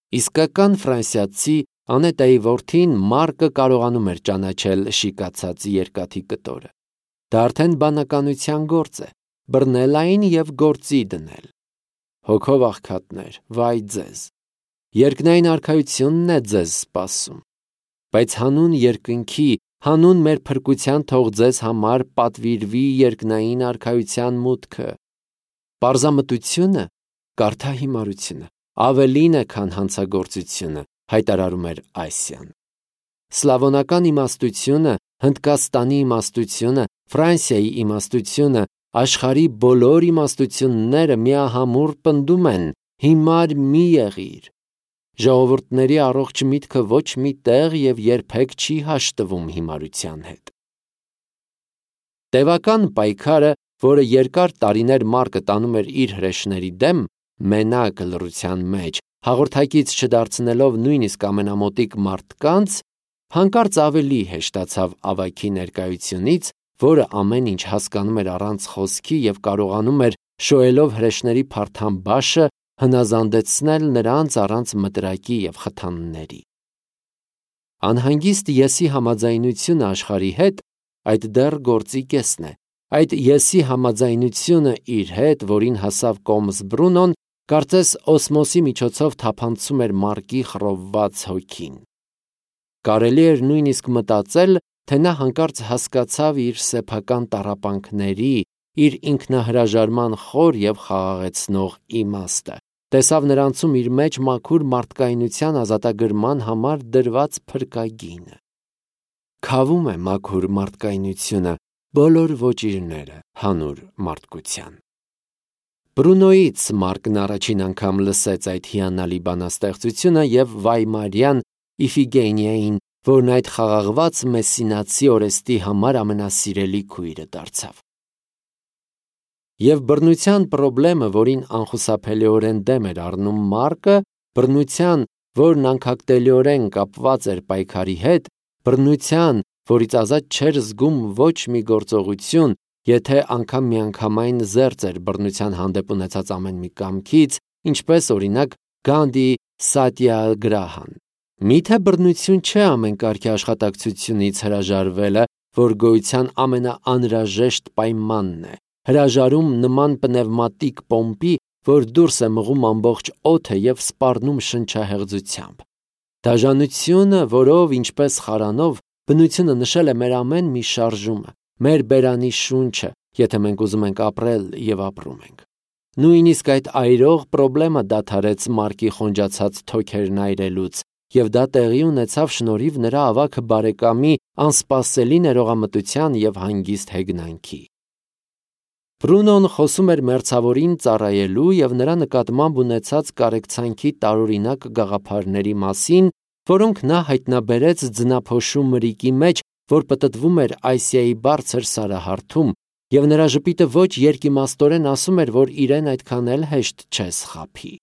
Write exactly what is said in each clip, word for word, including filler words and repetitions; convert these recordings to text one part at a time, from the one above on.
Իսկական ֆրանսիացի Անետայի որդին Մարկը կարողանում էր ճանաչել շիկացած երկաթի կտորը։ Դա արդեն բանականության գործ է, բռնել այն և գործի դնել։ Հոգով աղքատներ, վայ ձեզ, երկնային արքայությունն է ձեզ սպասում։ Բայց հանուն երկնքի, հանուն մեր փրկության թող ձեզ համար պատվիրվի երկնային արքայության մուտքը։ Պարզամտությունը, կարդա հիմարությունը, ավելին է, քան հանցագործությունը, հայտարարում էր Այսիան։ Սլավոնական իմաստությունը, Հնդկաստանի իմաստությունը, Ֆրանսիայի իմաստությունը, աշխարհի բոլոր իմաստությունները միահամուռ պնդում են. հիմար մի եղիր։ Ժողովուրդների առողջ միտքը ոչ մի տեղ և երբեք չի հաշտվում հիմարության հետ։ Տևական պայքարը, որը երկար տարիներ Մարկը տանում էր իր հրեշների դեմ, մենակ լռության մեջ, հաղորդակից չդարձնելով նույնիսկ ամենամոտիկ մարդկանց, հանկարծ ավելի հեշտացավ ավագի ներկայությունից, որը ամեն ինչ հասկանում էր առանց խոսքի և կարողանում էր, շոյելով հրեշների փարթամ բաշը, հնազանդեցնել նրանց առանց մտրակի և խթանների։ Անհանգիստ եսի համաձայնությունը աշխարհի հետ, այդ դեռ գործի կեսն է։ Այդ եսի համաձայնությունը իր հետ, որին հասավ Կոմս Բրունոն, կարծես օսմոսի միջոցով թափանցում էր Մարկի խռովված հոգին։ Կարելի էր նույնիսկ մտածել, թե նա հանկարծ հասկացավ իր սեփական տառապանքների, իր ինքնահրաժարման խոր և խաղաղեցնող իմաստը, տեսավ նրանցում իր մեջ մաքուր մարդկայնության ազատագրման համար դրված փրկագինը։ Քավում է մաքուր մարդկայնությունը, բոլոր ոճիրները հանուր մարդկության։ Բրունոյից Մարկն առաջին անգամ լսեց այդ հիանալի բանաստեղծությունը և Վայմարյան Իֆիգենիային, որն այդ խաղաղված մեսսինացի օրեստի համար ամենասիրելի քույրը դարձավ։ Եվ բռնության պրոբլեմը, որին անխուսափելիորեն դեմ էր առնում Մարկը, բռնության, որն անքակտելիորեն կապված էր պայքարի հետ, բռնության, որից ազատ չէր զգում ոչ մի գործողություն, եթե անգամ միանգամայն զերծ էր բռնության հանդեպ ունեցած ամեն մի կամքից, ինչպես օրինակ Գանդի Սատյագրահան։ Միթե բռնություն չէ ամեն կարգի աշխատակցությունից հրաժարվելը, որ գոյության ամենաանհրաժեշտ պայմանն է, հրաժարում նման պնևմատիկ պոմպի, որ դուրս է մղում ամբողջ օդը և սպառնում շնչահեղձությամբ։ Դաժանությունը, որով, ինչպես խարանով, բնությունը նշել է մեր ամեն մի շարժումը, մեր բերանի շունչը, եթե մենք ուզում ենք ապրել և ապրում ենք։ Նույնիսկ այդ այրող պրոբլեմը դադարեց Մարկի խոնջացած թոքերն այրելուց, և դա տեղի ունեցավ շնորհիվ նրա ավագ բարեկամի անսպասելի ներողամտության և հանգիստ հեգնանքի։ Բրունոն խոսում էր մերձավորին ծառայելու և նրա նկատմամբ ունեցած կարեկցանքի տարօրինակ գաղափարների մասին, որոնք նա հայտնաբերեց ձնափոշու մրիկի մեջ, որ պտտվում էր Ասիայի բարձր սարահարթում, և նրա ժպիտը ոչ երկիմաստորեն ասում էր, որ իրեն այդքան էլ հեշտ չէ սխափի։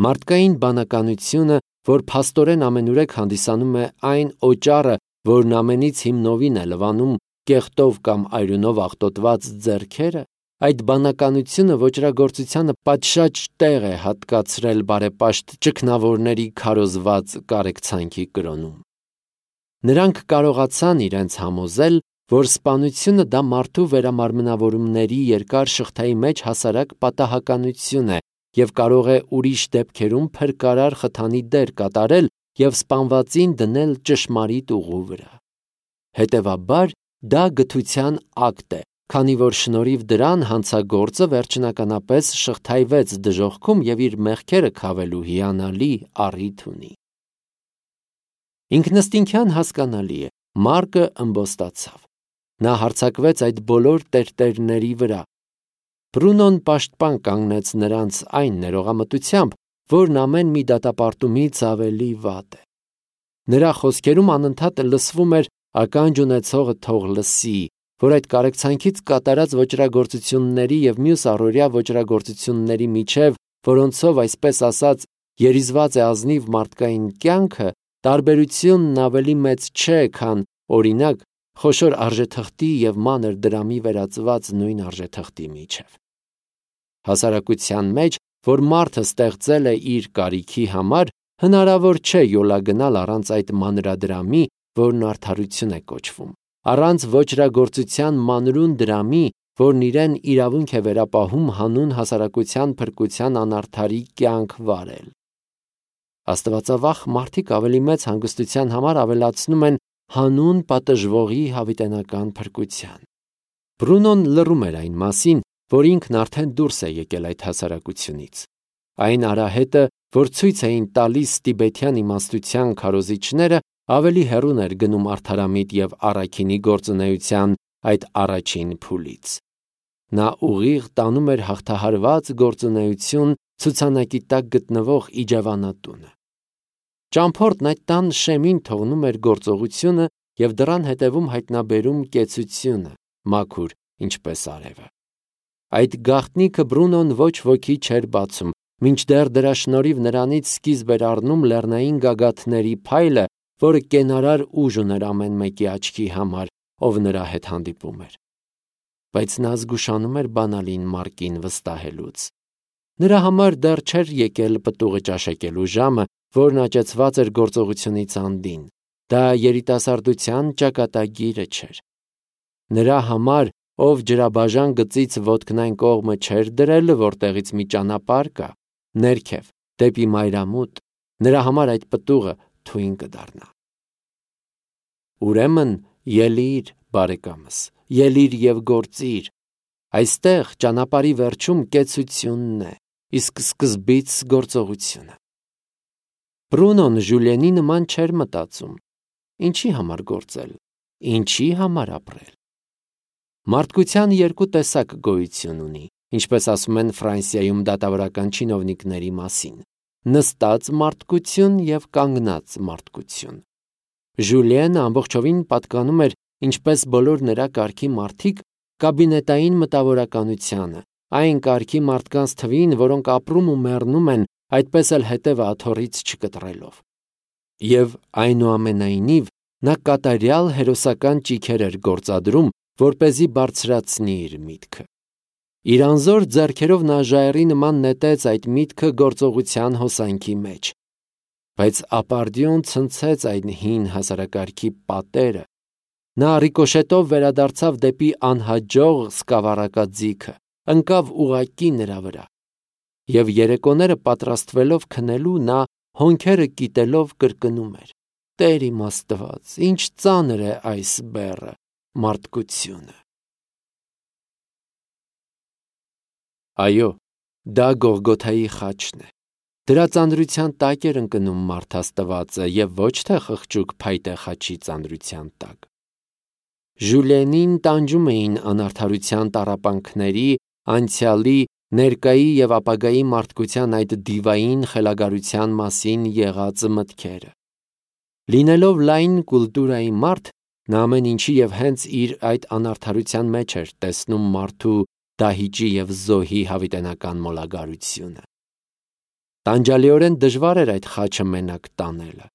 Մարդկային բանականությունը, որ փաստորեն ամենուրեք հանդիսանում է այն օճառը, որն ամենից հիմնովին է լվանում կեղտով կամ այրունով աղտոտված ձեռքերը, այդ բանականությունը ոճրագործությանը պատշաճ տեղ է հատկացրել բարեպաշտ ճգնավորների քարոզված կարեկցանքի կրոնում։ Նրանք կարողացան իրենց համոզել, որ սպանությունը դա մարդու վերամարմնավորումների երկար շղթայի մեջ հասարակ պատահականություն է և կարող է ուրիշ դեպքերում փրկարար խթանի դեր կատարել և սպանվածին դնել ճշմարիտ ուղու վրա։ Հետևաբար, դա գթության ակտ է, քանի որ շնորհիվ դրան հանցագործը վերջնականապես շղթայվեց դժոխքում և իր մեղքերը քավելու հիանալի առիթ ունի։ Ինքնըստինքյան հասկանալի է, Մարկը ըմբոստացավ։ Նա հարձակվեց այդ բոլոր տերտերների վրա։ Բրունոն պաշտպան կանգնեց նրանց այն ներողամտությամբ, որն ամեն մի դատապարտումից ավելի վատ է։ Նրա խոսքերում անընդհատ լսվում էր «ականջ ունեցողը թող լսի», որ այդ կարեկցանքից կատարած ոճրագործությունների և մյուս առօրյա ոճրագործությունների միջև, որոնցով, այսպես ասած, երիզված է ազնիվ մարդկային կյանքը, տարբերությունն ավելի մեծ չէ, քան, օրինակ, խոշոր արժեթղթի և մանր դրամի վերածված նույն արժեթղթի միջև։ Հասարակության մեջ, որ մարդը ստեղծել է իր կարիքի համար, հնարավոր չէ յոլա գնալ առանց այդ մանրադրամի, որն արդարություն է կոչվում, առանց ոճրագործության մանրուն դրամի, որն իրեն իրավունք է վերապահում հանուն հասարակության փրկության անարդարի կյանք վարել։ Աստվածավախ մարդիկ ավելի մեծ հանգստության համար ավելացնում են հանուն պատժվողի հավիտենական փրկության։ Բրունոն լռում էր այն մասին, որ ինքն արդեն դուրս է եկել այդ հասարակությունից։ Այն արահետը, որ ցույց էին տալիս տիբեթյան իմաստության քարոզիչները, ավելի հեռուն էր գնում արդարամիտ եւ առաքինի գործունեության այդ առաջին փուլից։ Նա ուղիղ տանում էր հաղթահարված գործունեություն ցուցանակի տակ գտնվող իջևանատունը։ Ճամփորդն այդ տան շեմին թողնում էր գործողությունը եւ դռան հետևում հայտնաբերում կեցությունը, մաքուր, ինչպես արևը։ Այդ գաղտնիքը Բրունոն ոչ ոքի չէր բացում, մինչդեռ դրա շնորհիվ նրանից սկիզբ էր առնում լեռնային գագաթների փայլը, որը կենարար ուժ ուներ ամեն մեկի աչքի համար, ով նրա հետ հանդիպում էր։ Բայց նա զգուշանում էր բանալին Մարկին վստահելուց։ Նրա համար դեռ չէր եկել պտուղը ճաշակելու ժամը, որն աճեցված էր գործողությունից անդին։ Դա երիտասարդության ճակատագիրը չէր։ Նրա համար, ով ջրաբաժան գծից ոտքն այն կողմը չէր դրել, որտեղից մի ճանապարհ կա, ներքև, դեպի մայրամուտ, նրա համար այդ պտուղը թույն կդառնա։ Ուրեմն ելիր, բարեկամս, ելիր եւ գործիր։ Այստեղ ճանապարհի վերջում կեցությունն է, իսկ սկզբից գործողությունը։ Բրունոն Ժուլիենի նման չէր մտածում։ Ինչի համար գործել, ինչի համար ապրել։ Մարդկության երկու տեսակ գոյություն ունի, ինչպես ասում են Ֆրանսիայում դատավորական չինովնիկների մասին՝ նստած մարդկություն եւ կանգնած մարդկություն։ Ժուլիենը ամբողջովին պատկանում էր, ինչպես բոլոր նրա կարգի մարդիկ, կաբինետային մտավորականությանը, այն կարգի մարդկանց թվին, որոնք ապրում ու մեռնում են, այդպես էլ հետևը աթոռից չկտրելով։ Եվ այնուամենայնիվ նա կատարյալ հերոսական ճիգեր էր գործադրում, որպեսզի բարձրացնի իր միտքը։ Իր անզոր ձեռքերով նա ժայռի նման նետեց այդ միտքը գործողության հոսանքի մեջ։ Բայց ապարդյուն ցնցեց այն հին հասարակարգի պատերը։ Նա ռիկոշետով վերադարձավ դեպի անհաջող սկավառակաձիգը, ընկավ ուղղակի նրա վրա։ Եվ երեկոները պատրաստվելով քնելու, նա հոնքերը կիտելով կրկնում էր. «Տեր իմ Աստված, ինչ ծանր է այս բեռը, մարդկությունը»։ Այո, դա Գողգոթայի խաչն է։ Դրա ծանրության տակ էր ընկնում մարդ Աստվածը եւ ոչ թե խղճուկ փայտե խաչի ծանրության տակ։ Ժուլիենին տանջում էին անարդարության տառապանքների, անցյալի, ներկայի եւ ապագայի մարդկության այդ դիվային խելագարության մասին եղած մտքերը։ Լինելով լայն կուլտուրայի մարդ, նա ամեն ինչի եւ հենց իր այդ անարդարության մեջ էր տեսնում մարդու դահիճի եւ զոհի հավիտենական մոլագարությունը։ Տանջալիորեն դժվար էր այդ խաչը մենակ տանելը,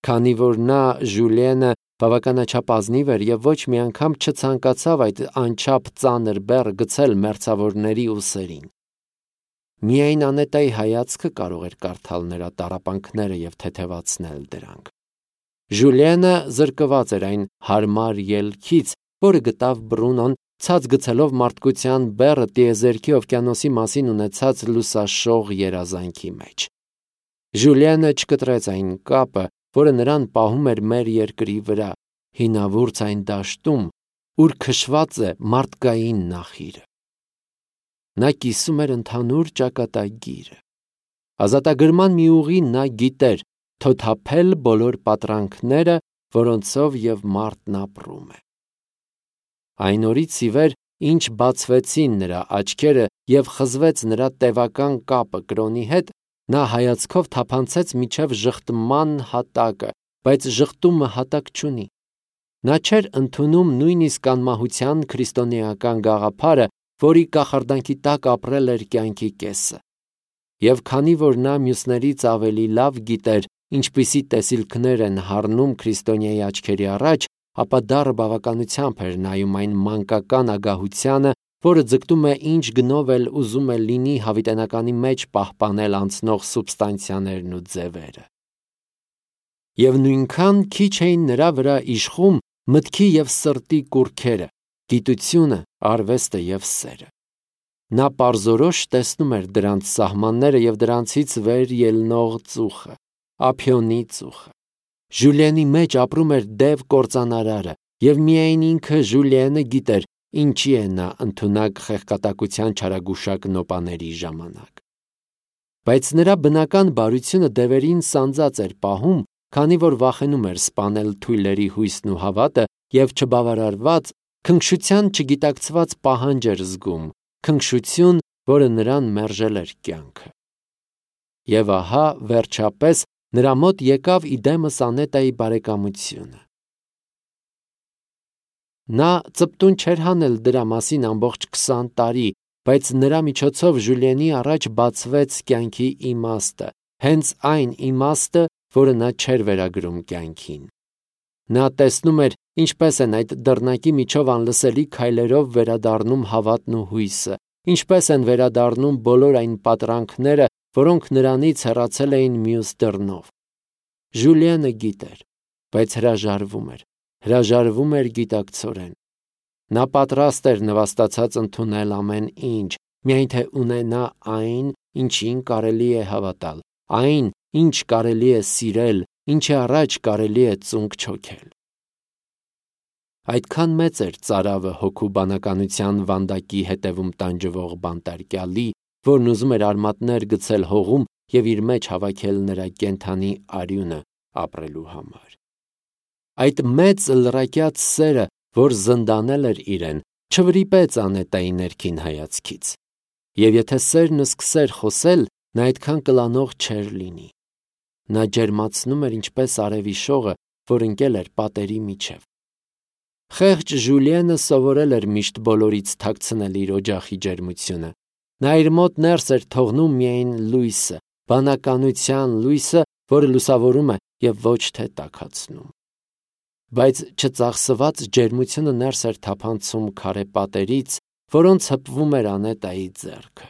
քանի որ նա Ժուլիենը բավականաչափ ազնիվ էր եւ ոչ մի անգամ չցանկացավ այդ անչափ ծանր բեռը գցել մերձավորների ուսերին։ Միայն անետայի հայացքը կարող էր կարդալ նրա տառապանքները եւ թեթևացնել դրանք։ Ժուլիենը զրկված էր այն հարմար ելքից, որը գտավ Բրունոն, ցած գցելով մարդկության բեռը տիեզերքի օվկիանոսի մասին ունեցած լուսաշող երազանքի մեջ։ Ժուլիենը չկտրեց այն կապը, որը նրան պահում էր մեր երկրի վրա, հինավուրց այն դաշտում, ուր քշված է մարդկային նախիրը։ Նա կիսում էր ընդհանուր ճակատագիրը։ Ազատագրման մի ուղի նա գիտեր՝ թոթափել բոլոր պատրանքները, որոնցով եւ մարդն ապրում է։ Այն օրից ի վեր, ինչ բացվեցին նրա աչքերը եւ խզվեց նրա տևական կապը կրոնի հետ, նա հայացքով թափանցեց միջև ժխտման հատակը, բայց ժխտումը հատակ չունի։ Նա չէր ընդունում նույնիսկ անմահության քրիստոնեական գաղափարը, որի կախարդանքի տակ ապրել էր կյանքի կեսը։ Եվ քանի որ նա մյուսներից ավելի լավ գիտեր, ինչպիսի տեսիլքներ են հառնում քրիստոնյայի աչքերի առաջ, ապա դառը բավականությամբ էր նայում այն մանկական ագահությանը, որը ձգտում է ինչ գնով էլ ուզում է լինի հավիտենականի մեջ պահպանել անցնող սուբստանցիաներն ու ձևերը։ Եվ նույնքան քիչ էին նրա վրա իշխում մտքի և սրտի կուռքերը, գիտությունը, արվեստը և սերը։ Նա պարզորոշ տեսնում էր դրանց սահմանները և դրանցից վեր ելնող ծուխը, ափիոնի ծուխը։ Ժուլիենի մեջ ապրում էր դև կործանարարը, և միայն ինքը Ժուլիենը գիտեր, ինչի է նա ընդունակ խեղկատակության չարագուշակ նոպաների ժամանակ։ Բայց նրա բնական բարությունը դևերին սանձած էր պահում, քանի որ վախենում էր սպանել թույլերի հույսն ու հավատը և չբավարարված, քնքշության չգիտակցված պահանջ էր զգում, քնքշություն, որը նրան մերժել էր կյանքը։ Եվ ահա, վերջապես, նրա մոտ եկավ իդեմս Անետայի բարեկամությունը։ Նա ծպտուն չէր հանել դրա մասին ամբողջ քսան տարի, բայց նրա միջոցով Ժուլիենի առաջ բացվեց կյանքի իմաստը, հենց այն իմաստը, որը նա չէր վերագրում կյանքին։ Նա տեսնում էր, ինչպես են այդ դռնակի միջով անլսելի քայլերով վերադառնում հավատն ու հույսը, ինչպես են վերադառնում բոլոր այն պատրանքները, որոնք նրանից հեռացել էին մյուս դռնով։ Ժուլիենը գիտեր, բայց հրաժարվում էր, հրաժարվում էր գիտակցորեն։ Նա պատրաստ էր նվաստացած ընդունել ամեն ինչ, միայն թե ունենա այն, ինչին կարելի է հավատալ, այն, ինչ կարելի է սիրել, ինչի առաջ կարելի է ծունկ չոքել։ Այդքան մեծ էր ծարավը հոգու բանականության վանդակի հետևում տանջվող բանտարկյալի, որն ուզում էր արմատներ գցել հողում և իր մեջ հավաքել նրա կենդանի արյունը ապրելու համար։ Այդ մեծ լրակյաց սերը, որ զնդանել էր իրեն, չվրիպեց Անետայի ներքին հայացքից։ Եվ եթե սերն սկսեր խոսել, նա այդքան կլանող չէր լինի։ Նա ջերմացնում էր ինչպես արևի շողը, որ ընկել էր պատերի միջև։ Խեղճ Ժուլիենը սովորել էր միշտ բոլորից թաքցնել իր օջախի ջերմությունը։ Նա իր մոտ ներս էր թողնում միայն լույսը, բանականության լույսը, որը լուսավորում է և ոչ թե տաքացնում։ Բայց չծախսված ջերմությունը ներս էր թափանցում քարե պատերից, որոնց հպվում էր Անետայի ձեռքը։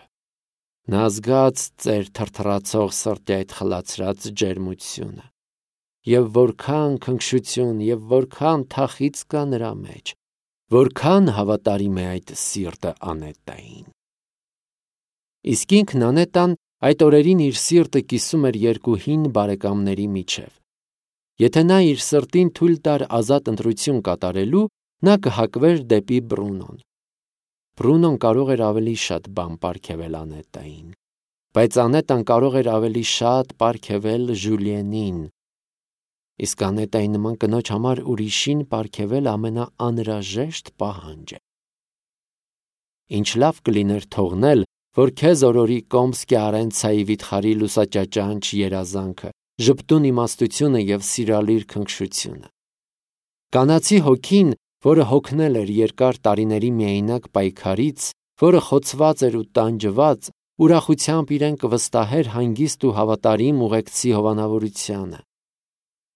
Նա զգաց ծեր թրթռացող սրտի այդ խլացրած ջերմությունը։ Եվ որքան քնքշություն և որքան թախիծ կա նրա մեջ, որքան հավատարիմ է այդ սիրտը Անետային։ Իսկ ինքն Անետան այդ օրերին իր սիրտը կիսում էր երկու հին բարեկամների միջև։ Եթե նա իր սրտին թույլ տար ազատ ընտրություն կատարելու, նա կհակվեր դեպի Բրունոն։ Բրունոն կարող էր ավելի շատ բան պարգևել Անետային, բայց Անետան կարող էր ավելի շատ պարգևել Ժուլիենին։ Իսկ Անետայի նման կնոջ համար ուրիշին պարգևել ամենաանհրաժեշտ պահանջ է։ Ինչ լավ կլիներ թողնել, որ քեզ օրորի Կոմսկի Արենցայի վիթխարի լուսաճաճանչ երազանքը, ժպտուն իմաստությունը և սիրալիր քնքշությունը։ Կանացի հոգին, որը հոգնել էր երկար տարիների միայնակ պայքարից, որը խոցված էր ու տանջված, ուրախությամբ իրեն կվստահեր հանգիստ ու հավատարիմ ուղեկցի հովանավորությանը։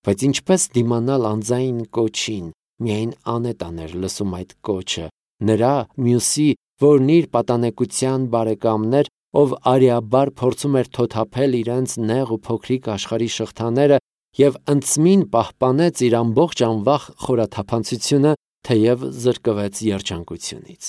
Բայց ինչպես դիմանալ անձայն կոչին, միայն Անետան էր լսում այդ կոչը, նրա, մյուսի, որն իր պատանեկության բարեկամներ, ով արիաբար փորձում էր թոթափել իրենց նեղ ու փոքրիկ աշխարհի շղթաները և ընդսմին պահպանեց իր ամբողջ անվախ խորաթափանցությունը, թեև զրկվեց երջանկությունից։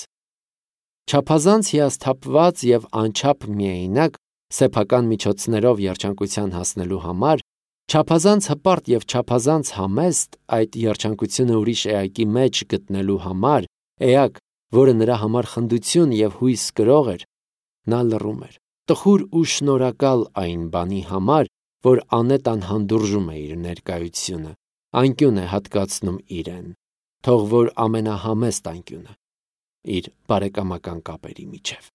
Չափազանց հիասթափված և անչափ միայնակ, սեփական միջոցներով երջանկության հասնելու համար, չափազանց հպարտ և չափազանց համեստ այդ երջանկությունը ուրիշ էակի մեջ գտնելու համար, էակ, որը նրա համար խնդություն և հույս կրող էր, նա լռում էր, տխուր ու շնորհակալ այն բանի համար, որ Անետան հանդուրժում է իր ներկայությունը, անկյուն է հատկացնում իրեն, թող որ ամենահամեստ անկյունը, իր բարեկամական կապերի միջև։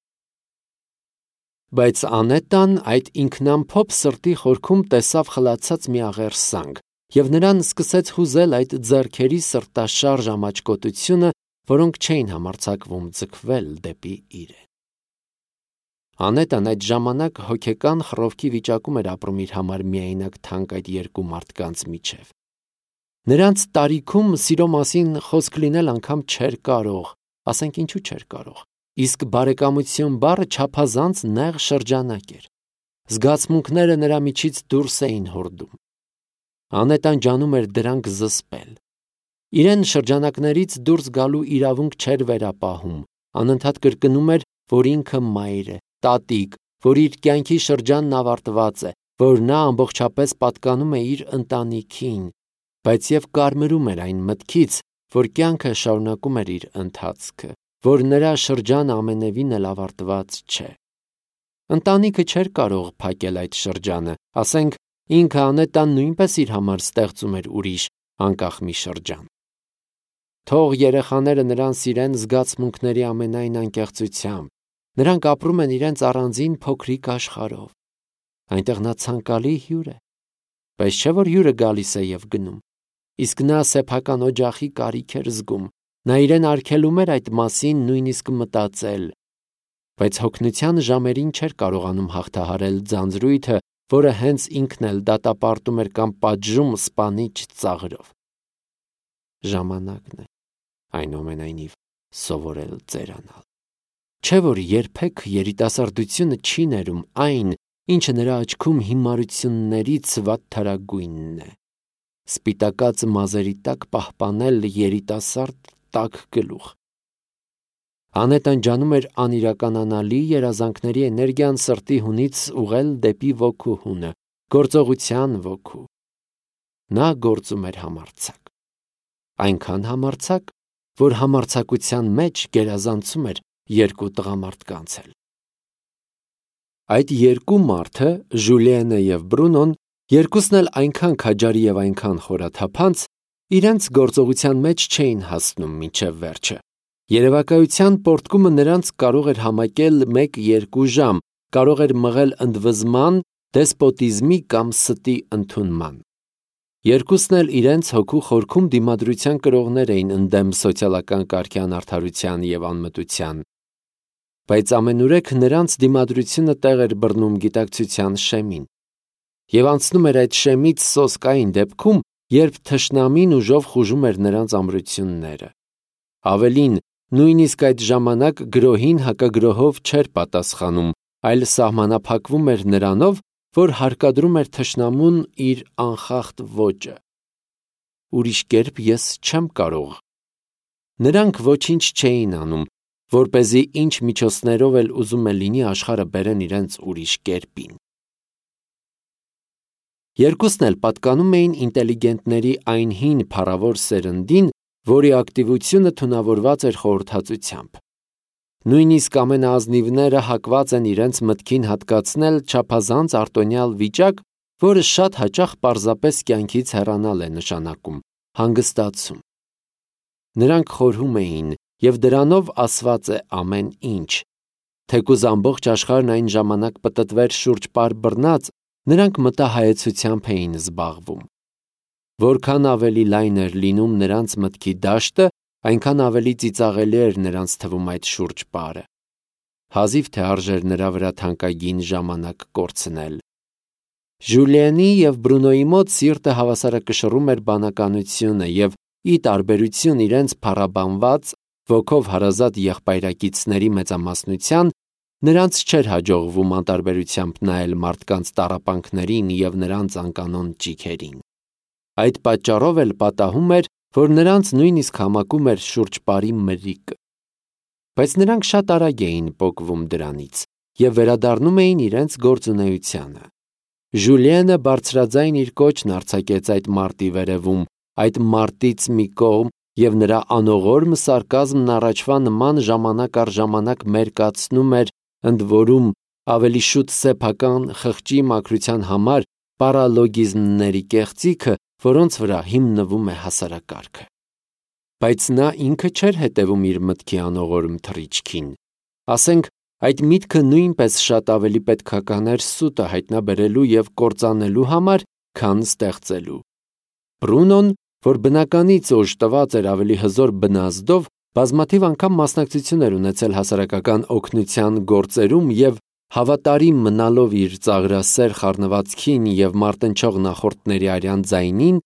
Բայց Անետան այդ ինքնամփոփ սրտի խորքում տեսավ խլացած մի աղերսանք, և նրան սկսեց հուզել այդ ձեռքերի սրտաշարժ ամաչկոտությունը, որոնք չէին համարձակվում ձգվել դեպի իրեն։ Անետան այդ ժամանակ հոգեկան խռովքի վիճակում էր ապրում իր համար միայնակ թանկ այդ երկու մարդկանց միջև։ Նրանց տարիքում սիրո մասին խոսք լինել անգամ չէր կարող, ասենք ինչու չէր կարող, իսկ բարեկամություն բառը չափազանց նեղ շրջանակ էր։ Զգացմունքները նրա միջից դուրս էին հորդում։ Անետան ջանում էր դրանք զսպել։ Իրեն շրջանակներից դուրս գալու իրավունք չէր վերապահում, անընդհատ կրկնում էր, որ ինքը մայր է, տատիկ, որ իր կյանքի շրջանն ավարտված է, որ նա ամբողջապես պատկանում է իր ընտանիքին, բայց և կարմրում էր այն մտքից, որ կյանքը շարունակում էր իր ընթացքը, որ նրա շրջանը ամենևին էլ ավարտված չէ։ Ընտանիքը չէր կարող փակել այդ շրջանը, ասենք ինքը Անետան նույնպես իր համար ստեղծում էր ուրիշ անկախ մի շրջան։ Թող երեխաները նրան սիրեն զգացմունքների ամենայն անկեղծությամբ, նրանք ապրում են իրենց առանձին փոքրիկ աշխարհով։ Այնտեղ նա ցանկալի հյուր է, բայց չէ որ հյուրը գալիս է և գնում, իսկ նա սեփական օջախի կարիք էր զգում, նա իրեն արգելում էր այդ մասին նույնիսկ մտածել, բայց հոգնության ժամերին չէր կարողանում հաղթահարել ձանձրույթը, որը հենց ինքն էլ դատապարտում էր կամ պատժում սպանիչ ծաղրով։ Ժամանակն է, այնուամենայնիվ, սովորել ծերանալ։ Չէ որ երբեք երիտասարդությունը չի ներում այն, ինչը նրա աչքում հիմարություններից վատթարագույնն է։ Սպիտակած մազերի տակ պահպանել երիտասարդ տաք գլուխ։ Անետան ջանում էր անիրականանալի երազանքների էներգիան սրտի հունից ուղղել դեպի ոգու հունը, գործողության ոգու։ Նա գործում էր համարձակ։ Այնքան համարձակ, որ համարձակության մեջ գերազանցում էր երկու տղամարդկանց էլ։ Այդ երկու մարդը, Ժուլիենը և Բրունոն, երկուսն էլ այնքան քաջարի և այնքան խորաթափանց, իրենց գործողության մեջ չէին հասնում մինչև վերջը։ Երևակայության պոռթկումը նրանց կարող էր համակել մեկ-երկու ժամ, կարող էր մղել ընդվզման, դեսպոտիզմի կամ ստի ընդունման։ Երկուսն էլ իրենց հոգու խորքում դիմադրության կրողներ էին ընդդեմ սոցիալական կարգի անարդարության և անմտության։ Բայց ամենուրեք նրանց դիմադրությունը տեղ էր բռնում գիտակցության շեմին։ Եվ անցնում էր այդ շեմից սոսկային դեպքում, երբ թշնամին ուժով խուժում էր նրանց ամրությունները։ Ավելին, նույնիսկ այդ ժամանակ գրոհին հակագրոհով չէր պատասխանում, այլ սահմանափակվում էր նրանով, որ հարկադրում էր թշնամուն իր անխախտ ոճը։ Ուրիշ կերպ ես չեմ կարող։ Նրանք ոչինչ չէին անում, որպեսզի ինչ միջոցներով էլ ուզում է լինի աշխարհը բերեն իրենց ուրիշ կերպին։ Երկուսն էլ պատկանում էին ինտելիգենտների այն հին փառավոր սերնդին, որի ակտիվությունը թունավորված էր խորհրդածությամբ։ Նույնիսկ ամենաազնիվները հակված են իրենց մտքին հատկացնել չափազանց արտոնյալ վիճակ, որը շատ հաճախ պարզապես կյանքից հեռանալ է նշանակում, հանգստացում։ Նրանք խորհում էին, և դրանով ասված է ամեն ինչ։ Թեկուզ ամբողջ աշխարհն այն ժամանակ պտտվեր շուրջպար բռնած, նրանք մտահայեցությամբ էին զբաղվում։ Որքան ավելի լայն էր լինում նրանց մտքի դաշտը, այնքան ավելի ծիծաղելի էր նրանց թվում այդ շուրջպարը։ Հազիվ թե արժեր նրա վրա թանկագին ժամանակ կորցնել։ Ժուլիենի և Բրունոյի մոտ սիրտը հավասարակշռում էր բանականությունը և, ի տարբերություն իրենց փառաբանված, ոգով հարազատ եղբայրակիցների մեծամասնության, նրանց չէր հաջողվում անտարբերությամբ նայել մարդկանց տառապանքներին և նրանց անկանոն ճիգերին։ Այդ պատճառով էլ պատահում էր, որ նրանց նույնիսկ համակում էր շուրջպարի մրրիկը։ Բայց նրանք շատ արագ էին պոկվում դրանից և վերադառնում էին իրենց գործունեությանը։ Ժուլիենը բարձրաձայն իր կոչն արձակեց այդ մարտի վերևում, այդ մարտից մի կողմ, և նրա անողորմ սարկազմն առաջվա նման ժամանակ առ ժամանակ մերկացնում էր, ընդ որում ավելի շուտ սեփական խղճի մաքրության համար պարալոգիզմների կեղծիքը, որոնց վրա հիմնվում է հասարակարգը։ Բայց նա ինքը չէր հետևում իր մտքի անողորմ թռիչքին։ Ասենք, այդ միտքը նույնպես շատ ավելի պետքական էր սուտը հայտնաբերելու և կործանելու համար, քան ստեղծելու։ Բրունոն, որ բնականից օժտված էր ավելի հզոր բնազդով, բազմաթիվ անգամ մասնակցություն էր ունեցել հասարակական օգնության գործերում և հավատարիմ մնալով իր ծաղրասեր խառնվածքին և մարտնչող նախորդների արյան ձայնին,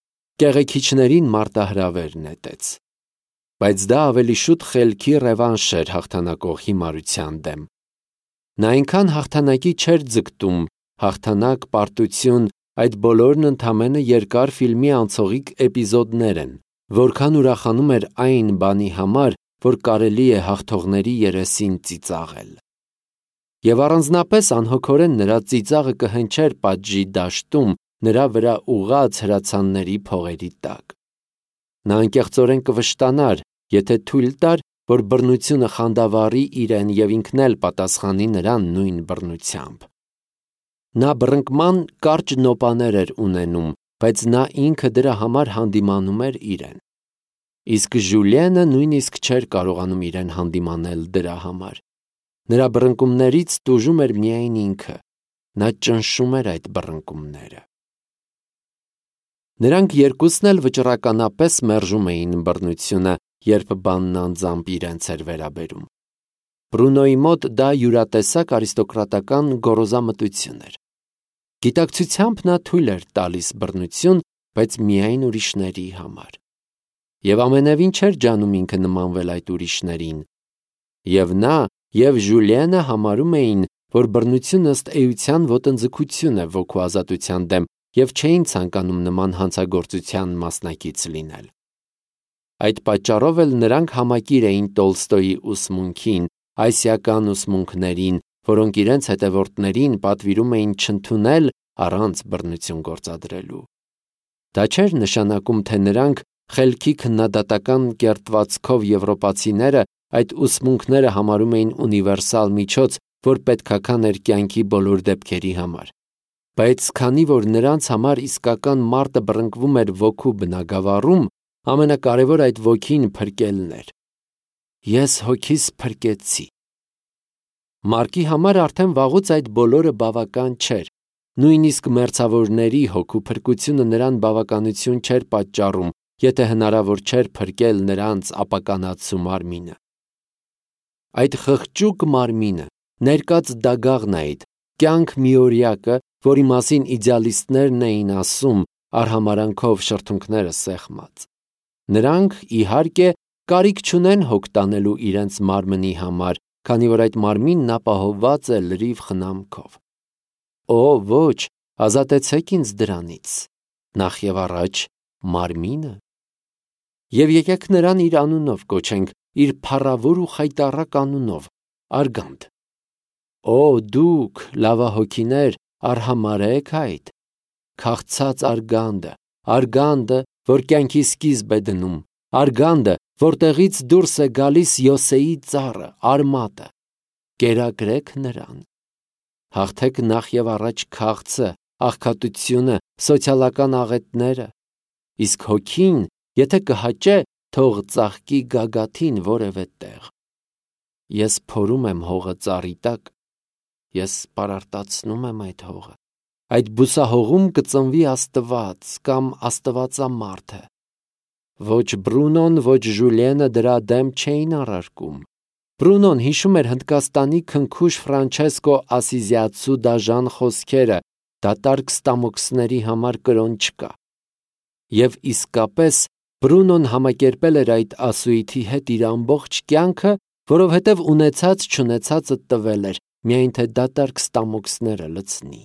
կեղեքիչներին մարտահրավեր նետեց։ բայց դա ավելի շուտ խելքի ռևանշ էր հաղթանակող հիմարության դեմ։ Նա այնքան հաղթանակի չէր ձգտում, հաղթանակ, պարտություն, այդ բոլորն ընդամենը երկար ֆիլմի անցողիկ էպիզոդներ են, որքան ուրախանում էր այն բանի համար, որ կարելի է հաղթողների երեսին ծիծաղել։ Եվ առանձնապես անհոգորեն նրա ծիծաղը կհնչեր պատժի դաշտում նրա վրա ուղղած հրացանների փողերի տակ։ Նա անկեղծորեն կվշտանար, եթե թույլ տար, որ բռնությունը խանդավառի իրեն և ինքն էլ պատասխանի նրան նույն բռնությամբ։ Նա բռնկման կարճ նոպաներ էր ունենում, բայց նա ինքը դրա համար հանդիմանում էր իրեն։ Իսկ Ժուլիենը նույնիսկ չէր կարողանում իրեն հանդիմանել դրա համար։ Նրա բռնկումներից տուժում էր միայն ինքը, նա ճնշում էր այդ բռնկումները։ Նրանք երկուսն էլ վճռականապես մերժում էին բռնությունը, երբ բանն անձամբ իրենց էր վերաբերում։ Բրունոյի մոտ դա յուրատեսակ արիստոկրատական գոռոզամտություն էր։ Գիտակցությամբ նա թույլ էր տալիս բռնություն, բայց միայն ուրիշների համար։ Եվ ամենևին չէր ջանում ինքը նմանվել այդ ուրիշներին։ Եվ նա, և Ժուլիենը համարում էին, որ բռնությունը ըստ էության ոտնձգություն է ոգու ազատության դեմ և չէին ցանկանում նման հանցագործության մասնակից լինել։ Այդ պատճառով էլ նրանք համակիր էին Տոլստոյի ուսմունքին, այսիական ուսմունքներին, որոնք իրենց հետևորդներին պատվիրում էին չընդունել առանց բռնություն գործադրելու։ Դա չէր նշանակում, թե նրանք խելքի քննադատական կերտվածքով եվրոպացիները այդ ուսմունքները համարում էին ունիվերսալ միջոց, որ պետքական էր կյանքի բոլոր դեպքերի համար։ Բայց քանի որ նրանց համար իսկական մարտը բռնկվում էր ոգու բնագավառում, ամենակարևոր այդ ոգին փրկելն էր։ Ես հոգիս փրկեցի։ Մարկի համար արդեն վաղուց այդ բոլորը բավական չէր։ Նույնիսկ մերձավորների հոգու փրկությունը նրան բավականություն չէր պատճառում, եթե հնարավոր չէր փրկել նրանց ապականացու մարմինը։ Այդ խղճուկ մարմինը, ներկած դագաղն այդ, կյանք միօրյակը, որի մասին իդեալիստներն էին ասում, արհամարանքով շրթունքները սեղմած։ Նրանք, իհարկե, կարիք չունեն հոգ տանելու իրենց մարմնի համար, քանի որ այդ մարմինն ապահովված է լրիվ խնամքով։ Օ, ոչ, ազատեցեք ինձ դրանից, նախ և առաջ մարմինը։ Եվ եկեք նրան իր անունով կոչենք, իր փառավոր ու խայտառակ անունով, Արգանդ։ Օ, դուք, լավահոգիներ, արհամարհեք այդ, քաղցած Արգանդը, Արգանդը, որ կյանքի սկիզբ է դնում, Արգանդը, որտեղից դուրս է գալիս Յոսեի ծառը, Արմատը, կերակրեք նրան։ Հաղթեք նախ և առաջ քաղցը, աղքատությունը, սոցիալական աղետները, իսկ հոգին, եթե կհաճե, թող ծաղկի գագաթին որևէ տեղ։ Ես փորում եմ հողը ծառի տակ, ես պարարտացնում եմ այդ հողը, այդ բուսահողում կծնվի Աստված կամ Աստվածամարդը։ Ոչ Բրունոն, ոչ Ժուլիենը դրա դեմ չէին առարկում։ Բրունոն հիշում էր Հնդկաստանի քնքուշ Ֆրանչեսկո Ասիզիացու դաժան խոսքերը, դատարկ ստամոքսների համար կրոն չկա։ Եվ իսկապես Բրունոն համակերպել էր այդ ասույթի հետ իր ամբողջ կյանքը, որովհետև ունեցած չունեցածը տվել էր, միայն թե դատարկ ստամոքսները լցնի։